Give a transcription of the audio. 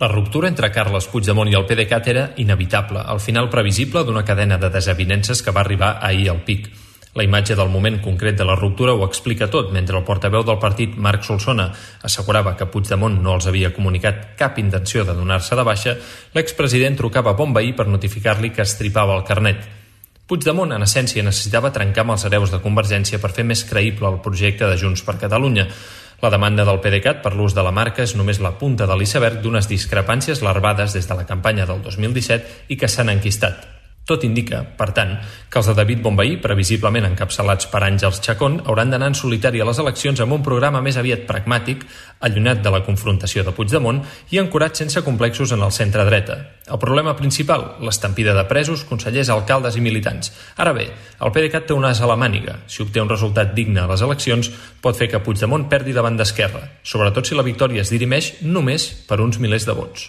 La ruptura entre Carles Puigdemont i el PDeCAT era inevitable, al final previsible d'una cadena de desavinences que va arribar ahir al pic. La imatge del moment concret de la ruptura ho explica tot. Mentre el portaveu del partit, Marc Solsona, assegurava que Puigdemont no els havia comunicat cap intenció de donar-se de baixa, l'expresident trucava a Bonvehí per notificar-li que estripava el carnet. Puigdemont, en essència, necessitava trencar amb els hereus de Convergència per fer més creïble el projecte de Junts per Catalunya. La demanda del PDeCAT per l'ús de la marca és només la punta de l'iceberg d'unes discrepàncies larvades des de la campanya del 2017 i que s'han enquistat. Tot indica, per tant, que els de David Bonvehí, previsiblement encapçalats per Àngels Chacón, hauran d'anar en solitari a les eleccions amb un programa més aviat pragmàtic, allunyat de la confrontació de Puigdemont i ancorat sense complexos en el centre-dreta. El problema principal, l'estampida de presos, consellers, alcaldes i militants. Ara bé, el PDeCAT té un as a la màniga. Si obté un resultat digne a les eleccions, pot fer que Puigdemont perdi davant d'Esquerra, sobretot si la victòria es dirimeix només per uns milers de vots.